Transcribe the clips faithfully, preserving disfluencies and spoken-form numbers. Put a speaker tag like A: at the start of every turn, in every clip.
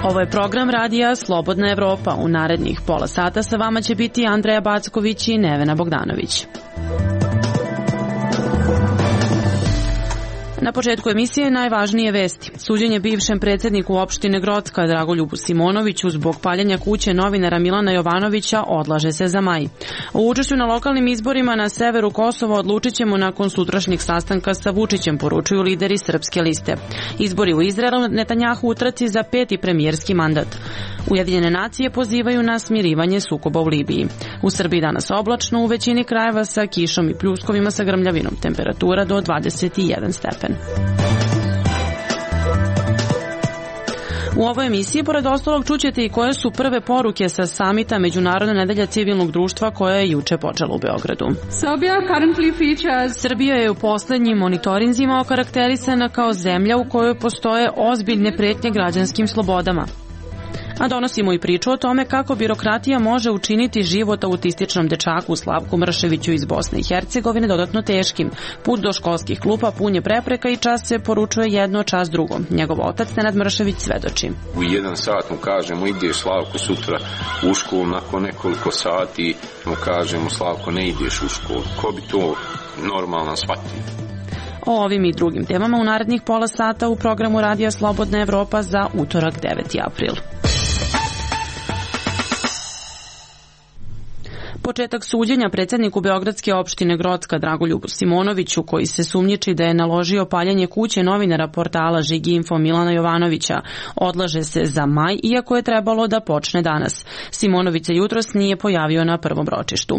A: Ovo je program radija Slobodna Evropa. U narednih pola sata sa vama će biti Andreja Backović i Nevena Bogdanović. Na početku emisije najvažnije vesti. Suđenje bivšem predsjedniku opštine Grocka Dragoljubu Simonoviću zbog paljenja kuće novinara Milana Jovanovića odlaže se za maj. O učešću na lokalnim izborima na severu Kosova odlučit ćemo nakon sutrašnjeg sastanka sa Vučićem, poručuju lideri Srpske liste. Izbori u Izraelu, Netanjahu u trci za peti premijerski mandat. Ujedinjene nacije pozivaju na smirivanje sukoba u Libiji. U Srbiji danas oblačno, u većini krajeva sa kišom i pljuskovima sa grmljavinom, temperatura do dvadeset jedan stepen. U ovoj emisiji, pored ostalog, čućete i koje su prve poruke sa samita Međunarodne nedelje civilnog društva koja je juče počela u Beogradu. Srbija je u poslednjim monitorinzima okarakterisana kao zemlja u kojoj postoje ozbiljne pretnje građanskim slobodama. A donosimo i priču o tome kako birokratija može učiniti život autističnom dečaku Slavku Mrševiću iz Bosne i Hercegovine dodatno teškim. Put do školskih klupa pun je prepreka i čas se poručuje jedno, čas drugo. Njegov otac Nenad Mršević svedoči.
B: U jedan sat mu kažemo ideš Slavko sutra u školu, nakon nekoliko sati mu kažemo Slavko ne ideš u školu. Ko bi to normalno shvatio?
A: O ovim i drugim temama u narednih pola sata u programu Radija Slobodna Evropa za utorak deveti april. Početak suđenja predsjedniku Beogradske opštine Grocka Dragoljubu Simonoviću, koji se sumnjiči da je naložio paljenje kuće novinara portala Žiginfo Milana Jovanovića, odlaže se za maj, iako je trebalo da počne danas. Simonović se jutros nije pojavio na prvom ročištu.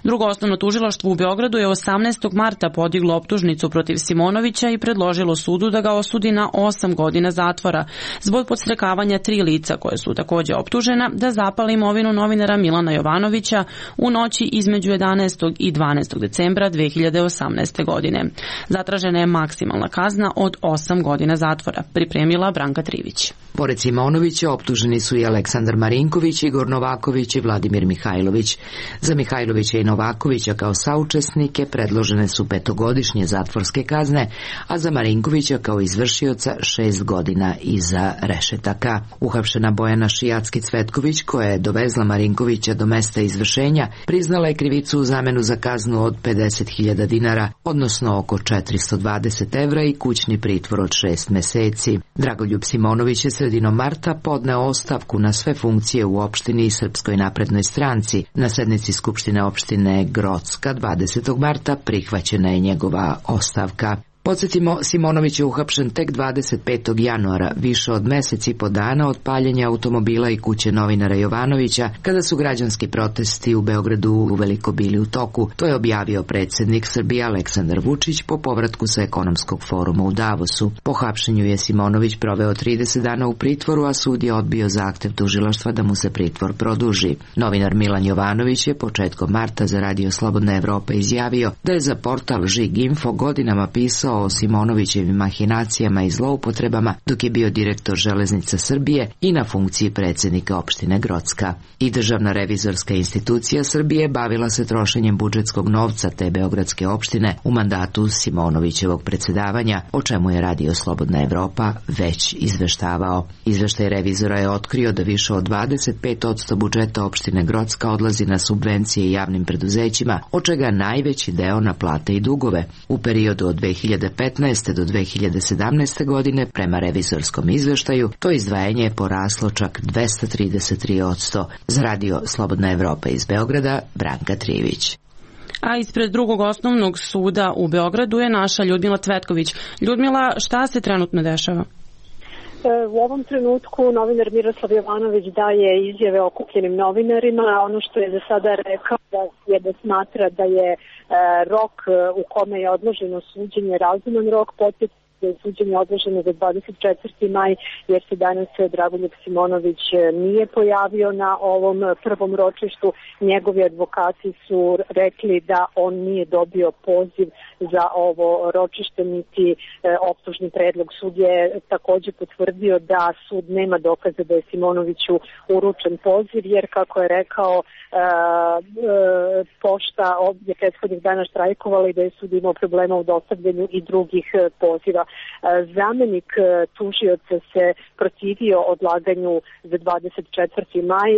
A: Drugo osnovno tužilaštvo u Beogradu je osamnaestog marta podiglo optužnicu protiv Simonovića i predložilo sudu da ga osudi na osam godina zatvora zbog podstrekavanja tri lica koje su takođe optužena da zapale imovinu novinara Milana Jovanovića u noći između jedanaestog i dvanaestog decembra dve hiljade osamnaeste. godine. Zatražena je maksimalna kazna od osam godina zatvora, pripremila Branka Trivić.
C: Pored Simonovića optuženi su i Aleksandar Marinković, Igor Novaković i Vladimir Mihajlović. Za Mihajlovića i Novakovića kao saučesnike predložene su petogodišnje zatvorske kazne, a za Marinkovića kao izvršioca šest godina iza rešetaka. Uhapšena Bojana Šijacki-Cvetković, koja je dovezla Marinkovića do mesta izvršenja, priznala je krivicu u zamenu za kaznu od pedeset hiljada dinara, odnosno oko četiristo dvadeset evra i kućni pritvor od šest meseci. Dragoljub Simonović je sredinom marta podneo ostavku na sve funkcije u opštini i Srpskoj naprednoj stranci. Na sednici Skupštine opštine Grocka dvadesetog marta prihvaćena je njegova ostavka. Podsjetimo, Simonović je uhapšen tek dvadeset petog januara, više od meseci po dana od paljenja automobila i kuće novinara Jovanovića, kada su građanski protesti u Beogradu uveliko bili u toku. To je objavio predsjednik Srbije Aleksandar Vučić po povratku sa ekonomskog foruma u Davosu. Po hapšenju je Simonović proveo trideset dana u pritvoru, a sud je odbio zahtev tužilaštva da mu se pritvor produži. Novinar Milan Jovanović je početkom marta za Radio Slobodna Evropa izjavio da je za portal Žiginfo godinama pisao o Simonovićevim mahinacijama i zloupotrebama dok je bio direktor Železnica Srbije i na funkciji predsjednika opštine Grocka. I Državna revizorska institucija Srbije bavila se trošenjem budžetskog novca te beogradske opštine u mandatu Simonovićevog predsjedavanja, o čemu je Radio Slobodna Evropa već izveštavao. Izveštaj revizora je otkrio da više od dvadeset pet posto budžeta opštine Grocka odlazi na subvencije javnim preduzećima, od čega najveći deo na plate i dugove. U periodu od dve hiljade petnaeste do dve hiljade sedamnaeste. godine, prema revizorskom izveštaju, to izdvajanje je poraslo čak dvesta trideset tri posto. Za Radio Slobodna Evropa iz Beograda, Branka Trivić.
A: A ispred drugog osnovnog suda u Beogradu je naša Ljudmila Cvetković. Ljudmila, šta se trenutno dešava?
D: U ovom trenutku novinar Miroslav Jovanović daje izjave okupljenim novinarima. Ono što je za sada rekao je da smatra da je rok u kome je odloženo suđenje razuman rok, podsjetiti da je suđenje odloženo za dvadeset četvrti maj, jer se danas Dragoljub Simonović nije pojavio na ovom prvom ročištu. Njegovi advokati su rekli da on nije dobio poziv za ovo ročište, niti optužni predlog. Sud je također potvrdio da sud nema dokaza da je Simonoviću uručen poziv, jer kako je rekao, pošta je prethodnih dana štrajkovala i da je sud imao problema u dostavljanju i drugih poziva. Zamenik tužioca se protivio odlaganju za dvadeset četvrti maj,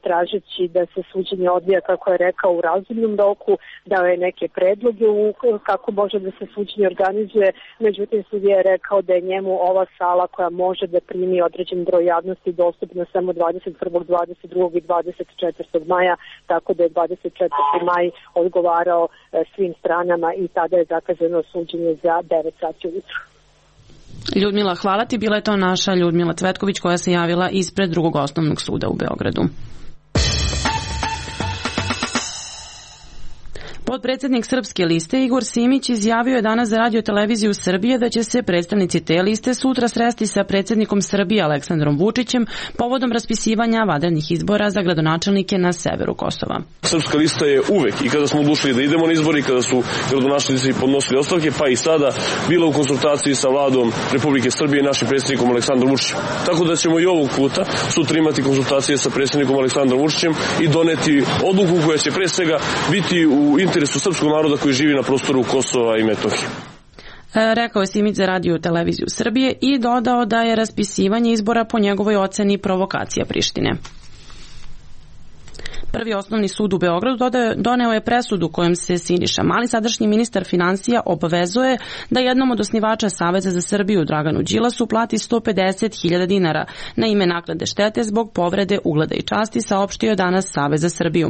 D: tražeći da se suđenje odvija, kako je rekao, u razumnom roku, dao je neke predloge u kako može da se suđenje organizuje, međutim sudija je rekao da je njemu ova sala koja može da primi određen broj javnosti dostupna samo dvadeset prvog, dvadeset drugog i dvadeset četvrtog maja, tako da je dvadeset četvrti maj odgovarao svim stranama i tada je zakazano suđenje za devet sati ujutru.
A: Ljudmila, hvala ti. Bila je to naša Ljudmila Cvetković koja se javila ispred drugog osnovnog suda u Beogradu. Potpredsednik Srpske liste Igor Simić izjavio je danas za Radio televiziju Srbije da će se predstavnici te liste sutra sresti sa predsednikom Srbije Aleksandrom Vučićem povodom raspisivanja vanrednih izbora za gradonačelnike na severu Kosova.
E: Srpska lista je uvek, i kada smo odlučili da idemo na izbori, kada su gradonačelnici podnosili ostavke, pa i sada, bila u konsultaciji sa vladom Republike Srbije i našim predsednikom Aleksandrom Vučićem. Tako da ćemo i ovog puta sutra imati konsultacije sa predsednikom Aleksandrom Vučićem i doneti odluku koja će pre svega biti u interesu srpskog naroda koji živi na prostoru Kosova i Metohije.
A: Rekao je Simić za Radio televiziju Srbije i dodao da je raspisivanje izbora po njegovoj oceni provokacija Prištine. Prvi osnovni sud u Beogradu doneo je presudu kojom se Siniša Mali, sadašnji ministar finansija, obavezuje da jednom od osnivača Saveza za Srbiju, Draganu Đilasu, plati sto pedeset hiljada dinara na ime naknade štete zbog povrede ugleda i časti, saopštio je danas Savez za Srbiju.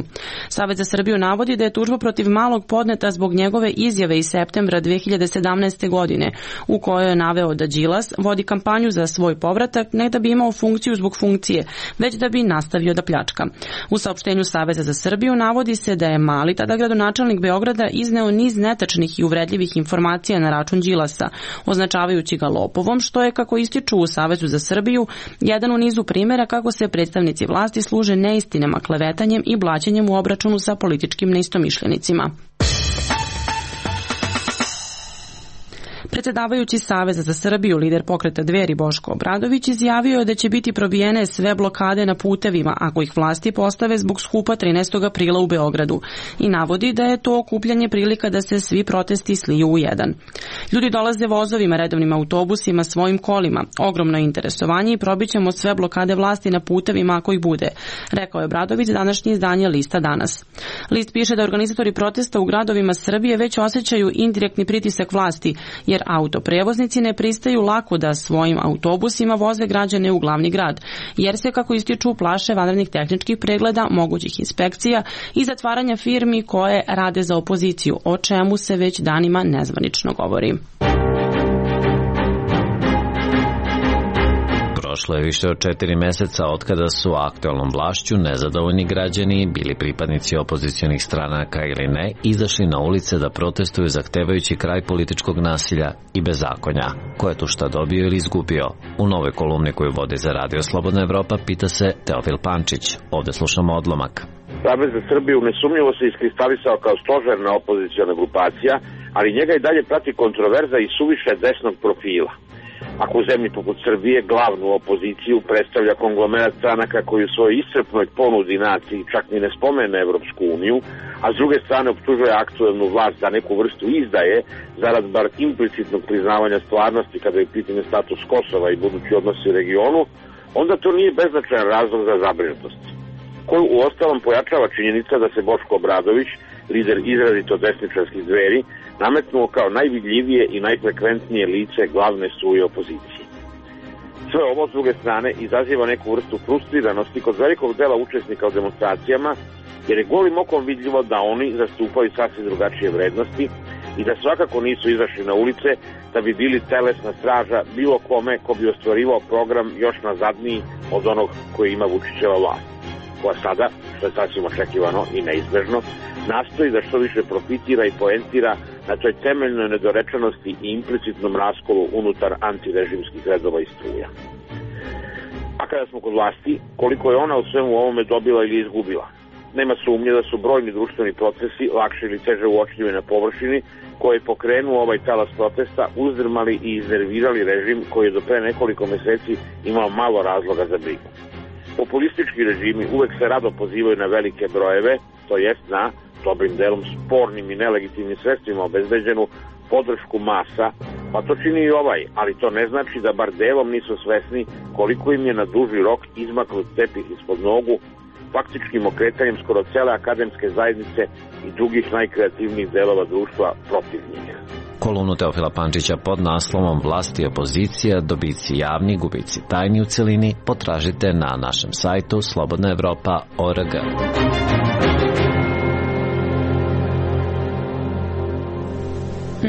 A: Savez za Srbiju navodi da je tužba protiv Malog podneta zbog njegove izjave iz septembra dve hiljade sedamnaeste. godine, u kojoj je naveo da Đilas vodi kampanju za svoj povratak ne da bi imao funkciju zbog funkcije, već da bi nastavio da pljačka. U saopštenju Saveza za Srbiju navodi se da je Mali, tada gradonačelnik Beograda, izneo niz netačnih i uvredljivih informacija na račun Đilasa, označavajući ga lopovom, što je, kako ističu u Savezu za Srbiju, jedan u nizu primjera kako se predstavnici vlasti služe neistinama, klevetanjem i blaćenjem u obračunu sa političkim neistomišljenicima. Predsedavajući Saveza za Srbiju, lider pokreta Dveri Boško Obradović, izjavio je da će biti probijene sve blokade na putevima ako ih vlasti postave zbog skupa trinaestog aprila u Beogradu i navodi da je to okupljanje prilika da se svi protesti sliju u jedan. Ljudi dolaze vozovima, redovnim autobusima, svojim kolima. Ogromno interesovanje i probićemo sve blokade vlasti na putevima ako ih bude, rekao je Obradović današnje izdanje Lista danas. List piše da organizatori protesta u gradovima Srbije već osjećaju indirektni pritisak vlasti, jer autoprevoznici ne pristaju lako da svojim autobusima voze građane u glavni grad, jer se, kako ističu, plaše vanrednih tehničkih pregleda, mogućih inspekcija i zatvaranja firmi koje rade za opoziciju, o čemu se već danima nezvanično govori.
F: Prošlo je više od četiri meseca od kada su aktualnom vlašću nezadovoljni građani, bili pripadnici opozicionih stranaka ili ne, izašli na ulice da protestuju zahtevajući kraj političkog nasilja i bezakonja. Ko je tu šta dobio ili izgubio? U novoj kolumni koju vodi za Radio Slobodna Evropa pita se Teofil Pančić. Ovde slušamo odlomak.
G: Savez za Srbiju nesumnjivo se iskristalisao kao stožerna opoziciona grupacija, ali njega i dalje prati kontroverza i suviše desnog profila. Ako u zemlji poput Srbije glavnu opoziciju predstavlja konglomerat stranaka koji u svojoj iscrpnoj ponudi naciji čak ni ne spomene Evropsku uniju, a s druge strane optužuje aktuelnu vlast za neku vrstu izdaje zarad bar implicitnog priznavanja stvarnosti kada je pitanje status Kosova i budući odnosi u regionu, onda to nije beznačajan razlog za zabrinutost, koju u ostalom pojačava činjenica da se Boško Obradović, lider izrazito desničarskih Dveri, nametnuo kao najvidljivije i najfrekventnije lice glavne struje opozicije. Sve ovo, s druge strane, izaziva neku vrstu frustriranosti kod velikog dela učesnika u demonstracijama, jer je golim okom vidljivo da oni zastupaju sasvim drugačije vrednosti i da svakako nisu izašli na ulice da bi bili telesna straža bilo kome ko bi ostvarivao program još nazadniji od onog koji ima Vučićeva vlast, koja sada, što je sasvim očekivano i neizbežno, nastoji da što više profitira i poentira na toj temeljnoj nedorečenosti i implicitnom raskolu unutar antirežimskih redova i struja. A kada smo kod vlasti, koliko je ona u svemu ovome dobila ili izgubila? Nema sumnje da su brojni društveni procesi, lakše ili teže uočljivi na površini, koji je pokrenuo ovaj talas protesta, uzdrmali i iznervirali režim koji je do pre nekoliko meseci imao malo razloga za brigu. Populistički režimi uvek se rado pozivaju na velike brojeve, to jest na dobrim delom spornim i nelegitimnim sredstvima obezbeđenu podršku masa Pa to čini i ovaj, ali to ne znači da bar delom nisu svesni koliko im je na duži rok izmaknut tepih ispod nogu faktičkim okretanjem skoro cele akademske zajednice i drugih najkreativnijih delova društva protiv njih.
F: Kolumnu Teofila Pančića pod naslovom Vlast i opozicija, dobici javni, gubici tajni u celini potražite na našem sajtu slobodna evropa tačka org.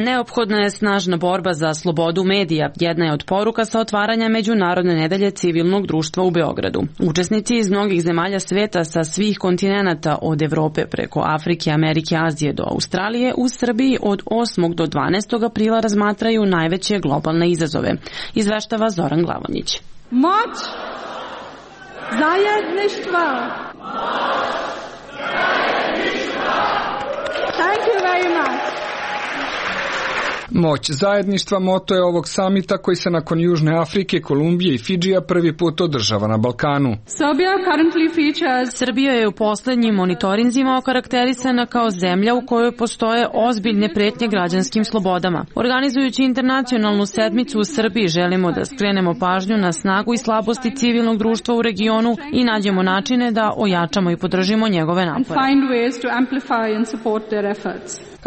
A: Neophodna je snažna borba za slobodu medija. Jedna je od poruka sa otvaranja Međunarodne nedelje civilnog društva u Beogradu. Učesnici iz mnogih zemalja sveta sa svih kontinenata, od Evrope preko Afrike, Amerike, Azije do Australije, u Srbiji od osmog do dvanaestog aprila razmatraju najveće globalne izazove. Izveštava Zoran Glavonjić.
H: Moć zajedništva. Thank you very much.
I: Moć zajedništva moto je ovog samita koji se nakon Južne Afrike, Kolumbije i Fidžija prvi put održava na Balkanu.
A: Srbija je u poslednjim monitorinzima okarakterisana kao zemlja u kojoj postoje ozbiljne pretnje građanskim slobodama. Organizujući internacionalnu sedmicu u Srbiji želimo da skrenemo pažnju na snagu i slabosti civilnog društva u regionu i nađemo načine da ojačamo i podržimo njegove napore.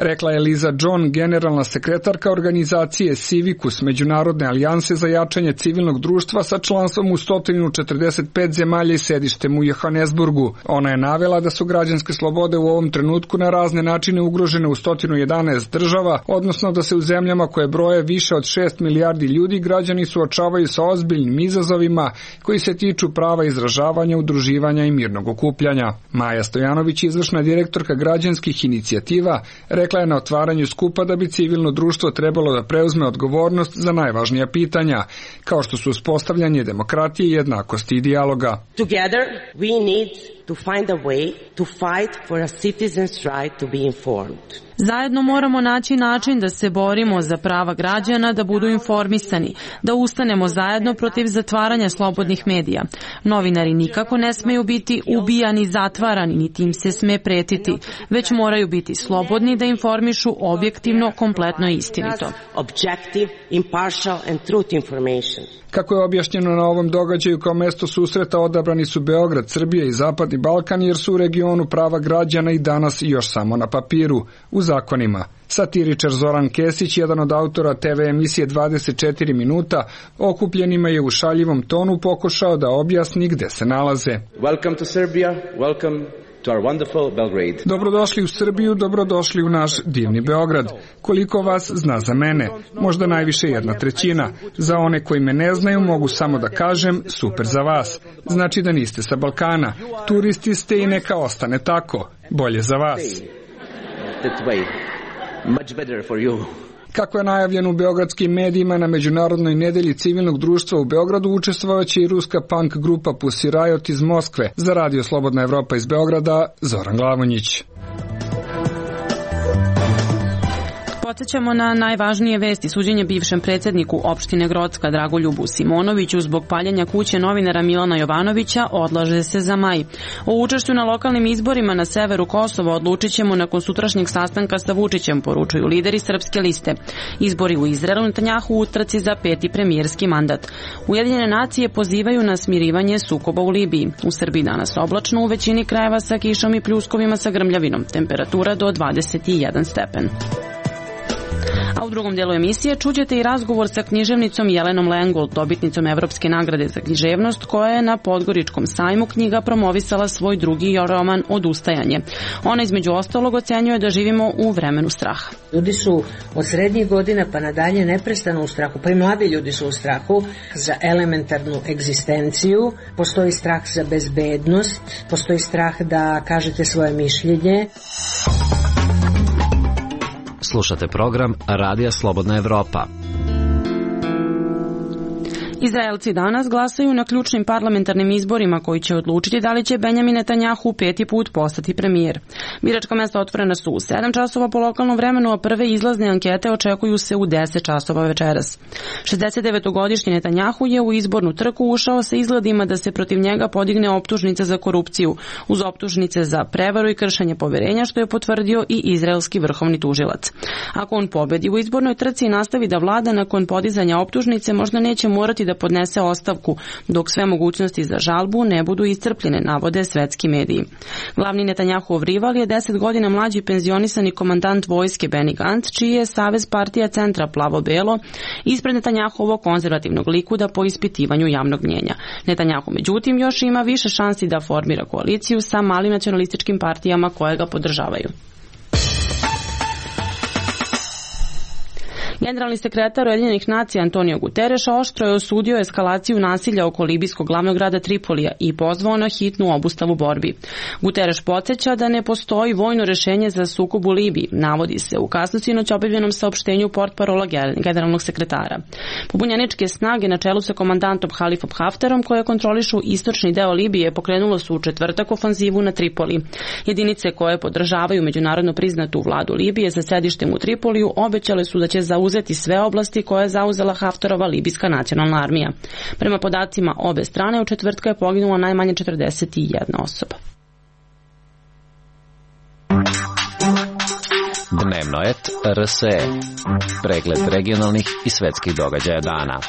I: Rekla je Liza John, generalna sekretarka organizacije Civicus, Međunarodne alijanse za jačanje civilnog društva sa članstvom u sto četrdeset pet zemalja i sedištem u Johannesburgu. Ona je navela da su građanske slobode u ovom trenutku na razne načine ugrožene u sto jedanaest država, odnosno da se u zemljama koje broje više od šest milijardi ljudi građani suočavaju sa ozbiljnim izazovima koji se tiču prava izražavanja, udruživanja i mirnog okupljanja. Maja Stojanović, izvršna direktorka građanskih inicijativa, rekla je na otvaranju skupa da bi civilno društvo trebalo da preuzme odgovornost za najvažnija pitanja, kao što su uspostavljanje demokratije, jednakosti i dijaloga.
J: Together we need to find a way to fight for a citizen's right to be informed.
A: Zajedno moramo naći način da se borimo za prava građana da budu informisani, da ustanemo zajedno protiv zatvaranja slobodnih medija. Novinari nikako ne smeju biti ubijani, zatvarani, niti im se sme pretiti, već moraju biti slobodni da informišu objektivno, kompletno i istinito.
J: Objective, impartial and truth information.
I: Kako je objašnjeno na ovom događaju, kao mesto susreta odabrani su Beograd, Srbija i Zapadni Balkan, jer su u regionu prava građana i danas još samo na papiru, u zakonima. Satiričar Zoran Kesić, jedan od autora te ve emisije dvadeset četiri minuta, okupljenima je u šaljivom tonu pokušao da objasni gde se nalaze.
K: Welcome to Serbia, welcome to our wonderful Belgrade.
I: Dobrodošli u Srbiju, dobrodošli u naš divni Beograd. Koliko vas zna za mene? Možda najviše jedna trećina. Za one koji me ne znaju mogu samo da kažem super za vas. Znači da niste sa Balkana. Turisti ste i neka ostane tako. Bolje za vas.
K: That way. Much better for you.
I: Kako je najavljeno u beogradskim medijima, na Međunarodnoj nedelji civilnog društva u Beogradu učestvovaće i ruska punk grupa Pussy Riot iz Moskve. Za Radio Slobodna Evropa iz Beograda, Zoran Glavonjić.
A: Podsećamo na najvažnije vesti. Suđenje bivšem predsjedniku opštine Grocka Dragoljubu Simonoviću zbog paljenja kuće novinara Milana Jovanovića odlaže se za maj. O učešću na lokalnim izborima na severu Kosova odlučit ćemo nakon sutrašnjeg sastanka sa Vučićem, poručuju lideri Srpske liste. Izbori u Izraelu, Netanjahu u utrci za peti premijerski mandat. Ujedinjene nacije pozivaju na smirivanje sukoba u Libiji. U Srbiji danas oblačno, u većini krajeva sa kišom i pljuskovima sa grmljavinom. Temperatura do dvadeset jedan stepen. A u drugom dijelu emisije čućete i razgovor sa književnicom Jelenom Lengold, dobitnicom Evropske nagrade za književnost, koja je na Podgoričkom sajmu knjiga promovisala svoj drugi roman Odustajanje. Ona između ostalog ocenjuje da živimo u vremenu straha.
L: Ljudi su od srednjih godina pa nadalje neprestano u strahu, pa i mladi ljudi su u strahu za elementarnu egzistenciju, postoji strah za bezbednost, postoji strah da kažete svoje mišljenje.
F: Slušate program Radija Slobodna Evropa.
A: Izraelci danas glasaju na ključnim parlamentarnim izborima koji će odlučiti da li će Benjamin Netanjahu peti put postati premijer. Biračka mesta otvorena su u sedam časova po lokalnom vremenu, a prve izlazne ankete očekuju se u deset časova večeras. šezdesetdevetogodišnji Netanjahu je u izbornu trku ušao sa izgledima da se protiv njega podigne optužnica za korupciju, uz optužnice za prevaru i kršenje poverenja, što je potvrdio i izraelski vrhovni tužilac. Ako on pobedi u izbornoj trci i nastavi da vlada nakon podizanja optužnice, možda neće morati da podnese ostavku, dok sve mogućnosti za žalbu ne budu iscrpljene, navode svetski mediji. Glavni Netanjahuov rival je deset godina mlađi penzionisani komandant vojske Benny Gantz, čiji je Savez partija centra plavo-belo ispred Netanjahuovog konzervativnog likuda po ispitivanju javnog mnjenja. Netanjahu, međutim, još ima više šansi da formira koaliciju sa malim nacionalističkim partijama koje ga podržavaju. Generalni sekretar Ujedinjenih nacija Antonio Guterres oštro je osudio eskalaciju nasilja oko libijskog glavnog grada Tripolija i pozvao na hitnu obustavu borbi. Guterres podsjeća da ne postoji vojno rešenje za sukob u Libiji, navodi se u kasno sinoć objavljenom saopštenju portparola generalnog sekretara. Pobunjeničke snage na čelu sa komandantom Halifom Haftarom, koje kontrolišu istočni deo Libije, pokrenulo su u četvrtak ofanzivu na Tripoli. Jedinice koje podržavaju međunarodno priznatu vladu Libije sa sedištem u Tripoliju obećale su da će zauzeti uzeti sve oblasti koje je zauzela Haftarova libijska nacionalna armija. Prema podacima obe strane, u četvrtka je poginula najmanje četrdeset jedna osoba.
F: Dnevnoet R S E. Pregled regionalnih i svetskih događaja dana.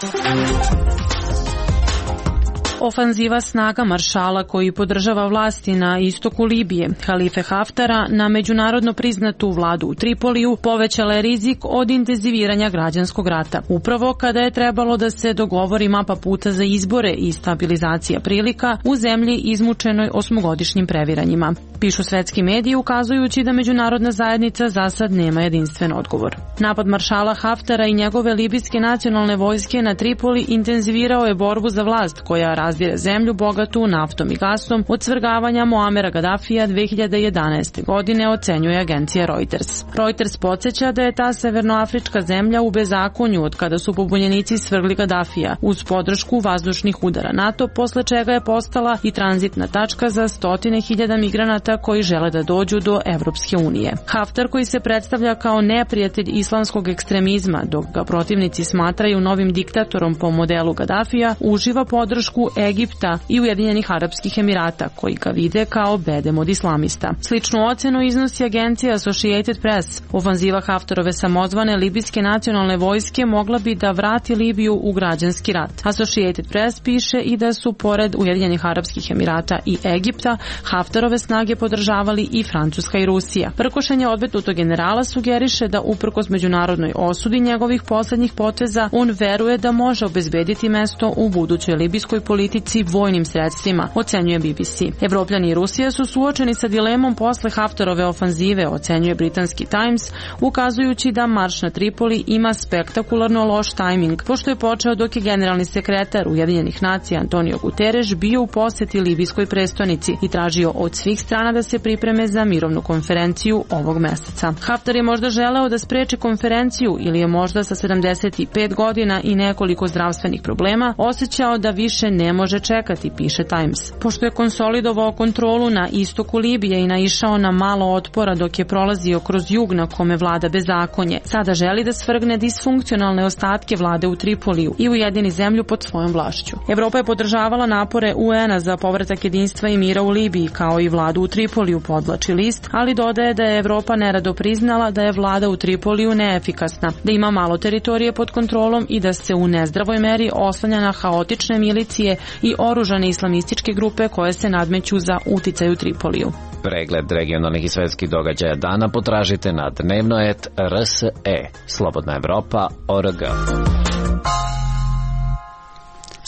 A: Ofanziva snaga maršala koji podržava vlasti na istoku Libije, Halife Haftara, na međunarodno priznatu vladu u Tripoliju povećala je rizik od intenziviranja građanskog rata. Upravo kada je trebalo da se dogovori mapa puta za izbore i stabilizacija prilika u zemlji izmučenoj osmogodišnjim previranjima. Pišu svetski mediji ukazujući da međunarodna zajednica za sad nema jedinstven odgovor. Napad maršala Haftara i njegove libijske nacionalne vojske na Tripoli intenzivirao je borbu za vlast koja razdire zemlju bogatu naftom i gasom od svrgavanja Muamera Gadafija dve hiljade jedanaeste. godine, ocenjuje agencija Reuters. Reuters podsjeća da je ta severnoafrička zemlja u bezakonju od kada su pobunjenici svrgli Gadafija uz podršku vazdušnih udara NATO, posle čega je postala i tranzitna tačka za stotine hiljada migranata koji žele da dođu do Evropske unije. Haftar, koji se predstavlja kao neprijatelj islamskog ekstremizma, dok ga protivnici smatraju novim diktatorom po modelu Gadafija, uživa podršku Egipta i Ujedinjenih Arapskih Emirata, koji ga vide kao bedem od islamista. Sličnu ocenu iznosi agencija Associated Press. Ofanziva Haftarove samozvane libijske nacionalne vojske mogla bi da vrati Libiju u građanski rat. Associated Press piše i da su pored Ujedinjenih Arapskih Emirata i Egipta Haftarove snage podržavali i Francuska i Rusija. Prkošenje odmetnutog generala sugeriše da uprkos međunarodnoj osudi njegovih poslednjih poteza, on veruje da može obezbediti mesto u budućoj libijskoj politici vojnim sredstvima, ocenjuje B B C. Evropljani i Rusija su suočeni sa dilemom posle Haftarove ofanzive, ocenjuje britanski Times, ukazujući da marš na Tripoli ima spektakularno loš tajming, pošto je počeo dok je generalni sekretar Ujedinjenih nacija Antonio Guterres bio u poseti libijskoj prestonici i tražio od svih strana da se pripreme za mirovnu konferenciju ovog meseca. Haftar je možda želeo da spreči konferenciju ili je možda sa sedamdeset pet godina i nekoliko zdravstvenih problema osjećao da više ne može čekati, piše Times. Pošto je konsolidovao kontrolu na istoku Libije i naišao na malo otpora dok je prolazio kroz jug na kome vlada bezakonje, sada želi da svrgne disfunkcionalne ostatke vlade u Tripoliju i ujedini zemlju pod svojom vlašću. Evropa je podržavala napore U N-a za povratak jedinstva i mira u Libiji, kao i vladu u Tripoliju, podvlači list, ali dodaje da je Evropa nerado priznala da je vlada u Tripoliju neefikasna, da ima malo teritorije pod kontrolom i da se u nezdravoj meri oslanja na haotične milicije i oružane islamističke grupe koje se nadmeću za uticaj u Tripoliju.
F: Pregled regionalnih i svetskih događaja dana potražite na dnevnoet R S E. Slobodna Evropa O R G.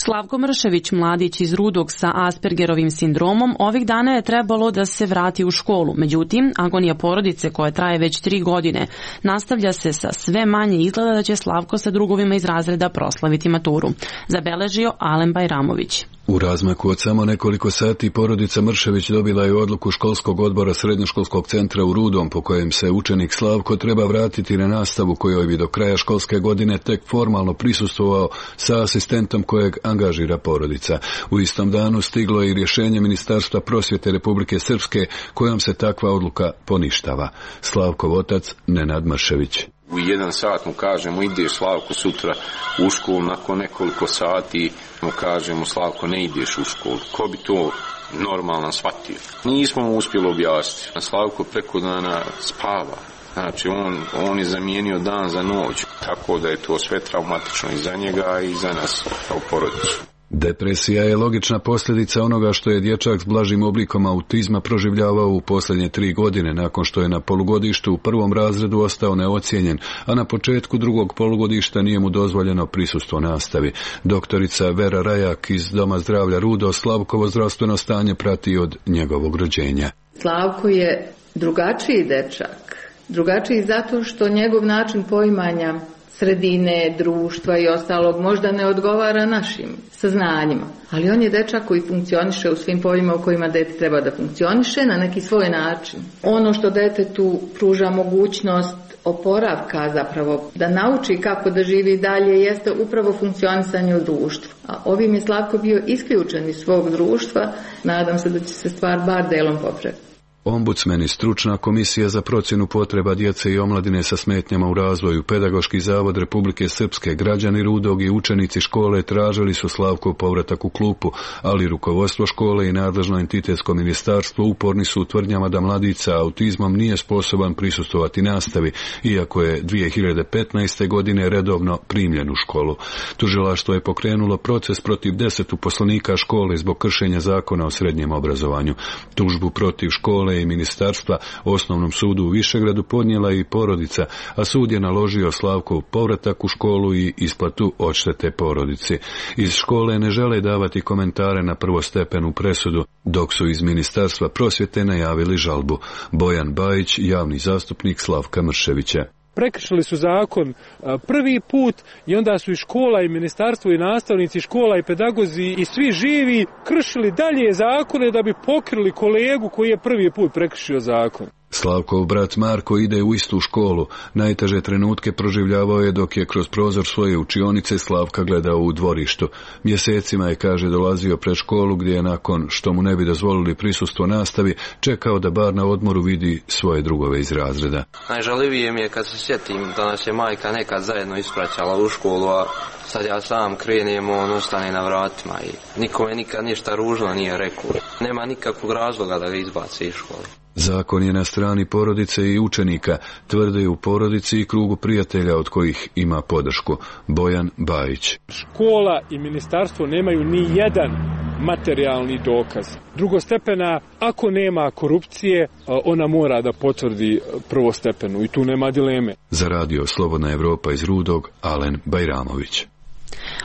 A: Slavko Mršević, mladić iz Rudog sa Aspergerovim sindromom, ovih dana je trebalo da se vrati u školu. Međutim, agonija porodice koja traje već tri godine nastavlja se sa sve manje izgleda da će Slavko sa drugovima iz razreda proslaviti maturu. Zabeležio Alen Bajramović.
F: U
M: U razmaku od samo nekoliko sati porodica Mršević dobila je odluku školskog odbora srednjoškolskog centra u Rudom po kojem se učenik Slavko treba vratiti na nastavu kojoj bi do kraja školske godine tek formalno prisustvovao sa asistentom kojeg angažira porodica. U istom danu stiglo je i rješenje Ministarstva prosvjete Republike Srpske kojom se takva odluka poništava. Slavkov otac Nenad Mršević.
B: U jedan sat mu kažemo ideš Slavko sutra u školu, nakon nekoliko sati mu kažemo Slavko ne ideš u školu. Ko bi to normalno shvatio? Nismo mu uspjeli objasniti. Slavko preko dana spava. Znači on, on je zamijenio dan za noć. Tako da je to sve traumatično i za njega i za nas kao porodicu.
M: Depresija je logična posljedica onoga što je dječak s blažim oblikom autizma proživljavao u posljednje tri godine nakon što je na polugodištu u prvom razredu ostao neocijenjen, a na početku drugog polugodišta nije mu dozvoljeno prisustvo nastavi. Doktorica Vera Rajak iz Doma zdravlja Rudo Slavkovo zdravstveno stanje prati od njegovog rođenja.
N: Slavko je drugačiji dečak. Drugačiji zato što njegov način poimanja sredine, društva i ostalog možda ne odgovara našim saznanjima. Ali on je dečak koji funkcioniše u svim poljima u kojima dete treba da funkcioniše na neki svoj način. Ono što detetu pruža mogućnost oporavka zapravo, da nauči kako da živi dalje, jeste upravo funkcionisanje u društvu. A ovim je Slavko bio isključen iz svog društva, nadam se da će se stvar bar delom popraviti.
M: Ombudsman i stručna komisija za procjenu potreba djece i omladine sa smetnjama u razvoju, Pedagoški zavod Republike Srpske, građani Rudog i učenici škole tražili su Slavkov povratak u klupu, ali rukovodstvo škole i nadležno entitetsko ministarstvo uporni su u tvrdnjama da mladić sa autizmom nije sposoban prisustvovati nastavi, iako je dvije hiljade petnaeste. godine redovno primljen u školu. Tužilaštvo je pokrenulo proces protiv deset uposlenika škole zbog kršenja zakona o srednjem obrazovanju. Tužbu protiv škole i ministarstva Osnovnom sudu u Višegradu podnijela i porodica, a sud je naložio Slavkov povratak u školu i isplatu odštete porodici. Iz škole ne žele davati komentare na prvostepenu presudu, dok su iz Ministarstva prosvjete najavili žalbu. Bojan Bajić, javni zastupnik Slavka Mrševića.
O: Prekršili su zakon prvi put i onda su i škola i ministarstvo i nastavnici škola i pedagozi i svi živi kršili dalje zakone da bi pokrili kolegu koji je prvi put prekršio zakon.
M: Slavkov brat Marko ide u istu školu. Najteže trenutke proživljavao je dok je kroz prozor svoje učionice Slavka gledao u dvorištu. Mjesecima je, kaže, dolazio pred školu gdje je nakon što mu ne bi dozvolili prisustvo nastavi čekao da bar na odmoru vidi svoje drugove iz razreda.
P: Najžalivije mi je kad se sjetim da nas je majka nekad zajedno ispraćala u školu, a sad ja sam krenem, on ostane na vratima i nikome nikad ništa ružno nije rekao. Nema nikakvog razloga da ga izbaci iz škole.
M: Zakon je na strani porodice i učenika, tvrde u porodici i krugu prijatelja od kojih ima podršku. Bojan Bajić.
O: Škola i ministarstvo nemaju ni jedan materijalni dokaz. Drugostepena, ako nema korupcije, ona mora da potvrdi prvostepenu i tu nema dileme.
M: Za radio Slobodna Evropa iz Rudog, Alen Bajramović.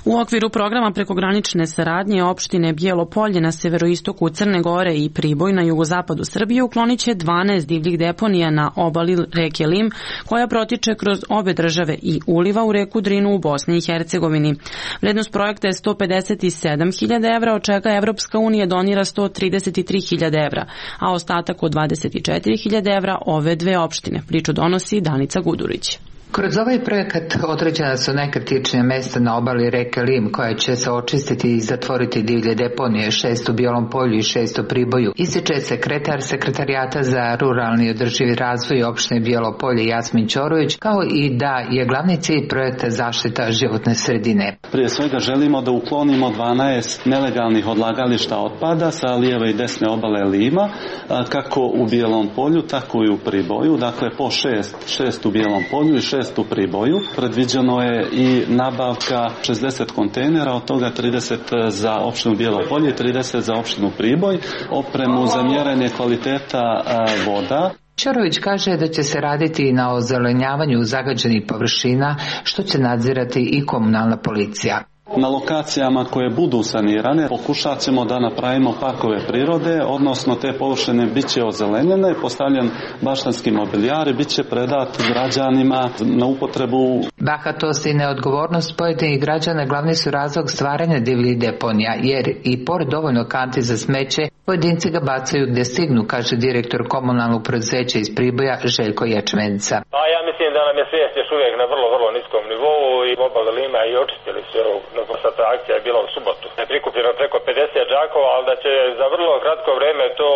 A: U okviru programa prekogranične saradnje opštine Bijelo Polje na severoistoku Crne Gore i Priboj na jugozapadu Srbije uklonit će dvanaest divljih deponija na obali reke Lim, koja protiče kroz obe države i uliva u reku Drinu u Bosni i Hercegovini. Vrednost projekta je sto pedeset sedam hiljada evra, od čega Evropska unija donira sto trideset tri hiljade evra, a ostatak od dvadeset četiri hiljade evra ove dve opštine. Priču donosi Danica Gudurić.
Q: Kroz ovaj projekat određena su najkritičnija mesta na obali reke Lim, koja će se očistiti i zatvoriti divlje deponije, šest u Bijelom Polju i šest u Priboju. Ističe sekretar Sekretarijata za ruralni održivi razvoj opštine Bijelo Polje Jasmin Ćorović, kao i da je glavni cilj projekta zaštita životne sredine.
R: Prije svega želimo da uklonimo dvanaest nelegalnih odlagališta otpada sa lijeve i desne obale Lima, kako u Bijelom Polju, tako i u Priboju, dakle po šest, šest u Bijelom Polju i šest u Priboju. Predviđeno je i nabavka šezdeset kontejnera, od toga trideset za opštinu Bijelo Polje i trideset za opštinu Priboj, opremu za mjerenje kvaliteta voda.
Q: Ćorović kaže da će se raditi na ozelenjavanju zagađenih površina, što će nadzirati i komunalna policija.
R: Na lokacijama koje budu sanirane pokušat ćemo da napravimo parkove prirode, odnosno te površine bit će ozelenjene, postavljen baštanski mobilijar i bit će predat građanima na upotrebu.
Q: Bahatost i neodgovornost pojedinih građana glavni su razlog stvaranja divljih deponija, jer i pored dovoljno kanti za smeće, pojedinci ga bacaju gde stignu, kaže direktor komunalnog preduzeća iz Priboja Željko Ječmenica.
S: A ja mislim da nam je svijest još uvijek na vrlo, vrlo niskom nivou i obala Lima i očistili su, no ta akcija je bila u subotu. Je prikupljeno preko pedeset džakova, ali da će za vrlo kratko vreme to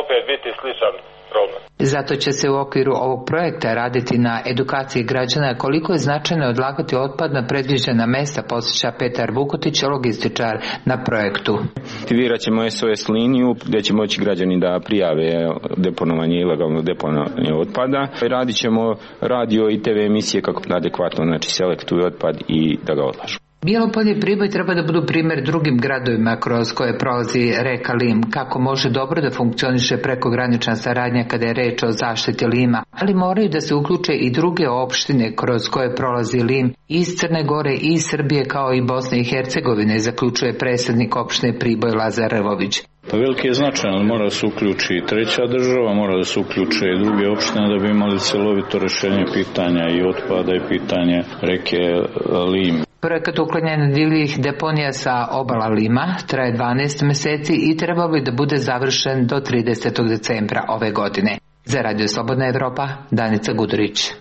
S: opet biti sličan problem.
Q: Zato će se u okviru ovog projekta raditi na edukaciji građana koliko je značajno odlagati otpad na predviđena mesta, posjeća Petar Vukotić, logističar na projektu.
T: Aktivirat ćemo S O S liniju gdje će moći građani da prijave deponovanje, ilegalno deponovanje otpada. Radit ćemo radio i T V emisije kako adekvatno, znači selektuju otpad i da ga odlažu.
Q: Bijelopolje i Priboj treba da budu primjer drugim gradovima kroz koje prolazi reka Lim, kako može dobro da funkcioniše prekogranična saradnja kada je reč o zaštiti Lima, ali moraju da se uključe i druge opštine kroz koje prolazi Lim iz Crne Gore i iz Srbije kao i Bosne i Hercegovine, zaključuje predsjednik opštine Priboj Lazar Rvović.
U: Pa veliki je značaj, ali mora da se uključi i treća država, mora da se uključe i druge opštine da bi imali celovito rešenje pitanja i otpada i pitanje reke Lim.
Q: Projekat uklanjanja divljih deponija sa obala Lima traje dvanaest meseci i trebao bi da bude završen do tridesetog decembra ove godine. Za Radio Slobodna Evropa, Danica Gudurić.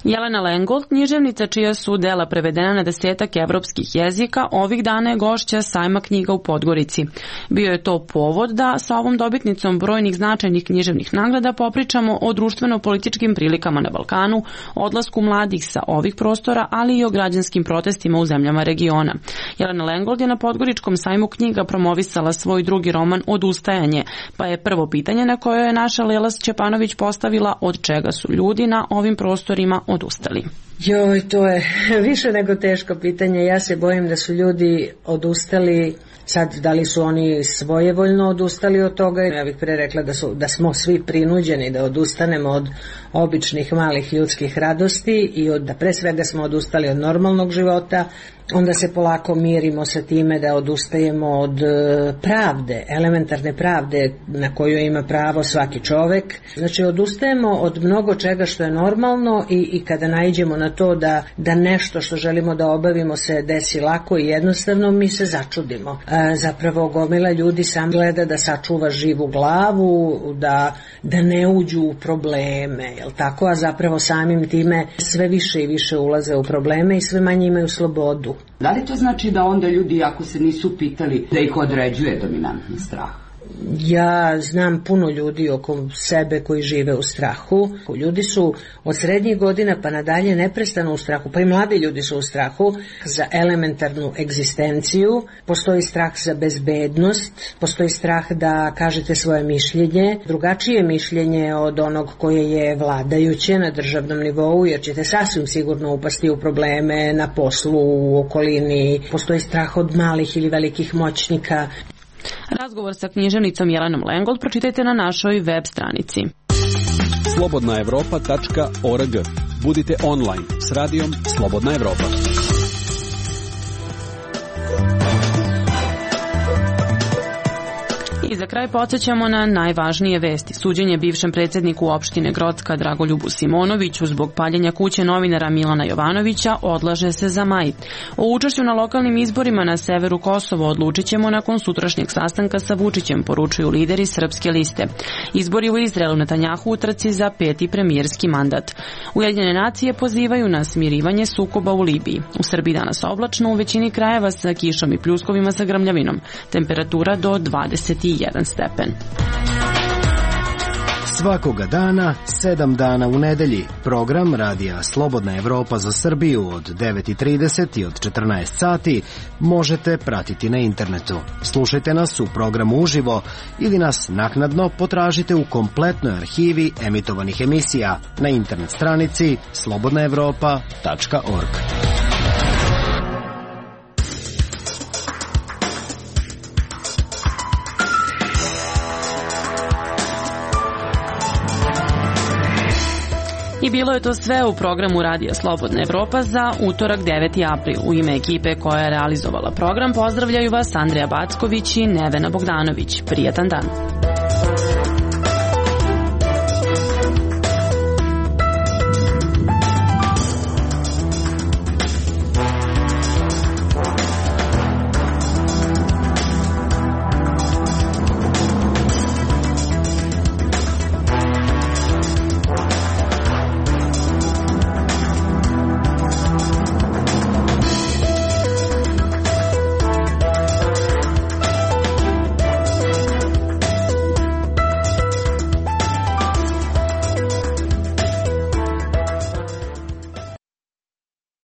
A: Jelena Lengold, književnica čija su dela prevedena na desetak evropskih jezika, ovih dana je gošća sajma knjiga u Podgorici. Bio je to povod da sa ovom dobitnicom brojnih značajnih književnih nagrada popričamo o društveno-političkim prilikama na Balkanu, odlasku mladih sa ovih prostora, ali i o građanskim protestima u zemljama regiona. Jelena Lengold je na Podgoričkom sajmu knjiga promovisala svoj drugi roman Odustajanje, pa je prvo pitanje na koje je naša Lela Šćepanović postavila od čega su ljudi na ovim prostorima odustali.
L: Joj, to je više nego teško pitanje. Ja se bojim da su ljudi odustali, sad da li su oni svojevoljno odustali od toga. Ja bih pre rekla da, su, da smo svi prinuđeni da odustanemo od običnih malih ljudskih radosti i od, da pre svega smo odustali od normalnog života. Onda se polako mirimo sa time da odustajemo od pravde, elementarne pravde na koju ima pravo svaki čovek. Znači odustajemo od mnogo čega što je normalno i, i kada naiđemo na to da, da nešto što želimo da obavimo se desi lako i jednostavno, mi se začudimo. E, zapravo gomila ljudi sam gleda da sačuva živu glavu, da, da ne uđu u probleme, jel tako? A zapravo samim time sve više i više ulaze u probleme i sve manje imaju slobodu.
V: Da li to znači da onda ljudi, ako se nisu pitali, da ih određuje dominantni strah?
L: Ja znam puno ljudi oko sebe koji žive u strahu. Ljudi su od srednjih godina pa nadalje neprestano u strahu, pa i mladi ljudi su u strahu za elementarnu egzistenciju. Postoji strah za bezbednost, postoji strah da kažete svoje mišljenje, drugačije mišljenje od onog koje je vladajuće na državnom nivou, jer ćete sasvim sigurno upasti u probleme na poslu, u okolini. Postoji strah od malih ili velikih moćnika.
A: Razgovor sa književnicom Jelenom Lengold pročitajte na našoj web stranici.
W: slobodna evropa tačka org. Budite online s radijom Slobodna Evropa.
A: I za kraj podsjećamo na najvažnije vesti. Suđenje bivšem predsjedniku opštine Grocka Dragoljubu Simonoviću zbog paljenja kuće novinara Milana Jovanovića odlaže se za maj. O učešću na lokalnim izborima na severu Kosova odlučit ćemo nakon sutrašnjeg sastanka sa Vučićem, poručuju lideri Srpske liste. Izbori u Izraelu, Netanjahu u trci za peti premijerski mandat. Ujedinjene nacije pozivaju na smirivanje sukoba u Libiji. U Srbiji danas oblačno, u većini krajeva sa kišom i pljuskovima sa grmljavinom. Temperatura do dvadeset jedan stepen.
X: Svakoga dana, sedam dana u nedelji. Program Radija Slobodna Evropa za Srbiju od devet i trideset i od četrnaest sati možete pratiti na internetu. Slušajte nas u programu uživo ili nas naknadno potražite u kompletnoj arhivi emitovanih emisija na internet stranici slobodna evropa tačka org.
A: I bilo je to sve u programu Radija Slobodna Evropa za utorak deveti april. U ime ekipe koja je realizovala program pozdravljaju vas Andreja Backović i Nevena Bogdanović. Prijatan dan.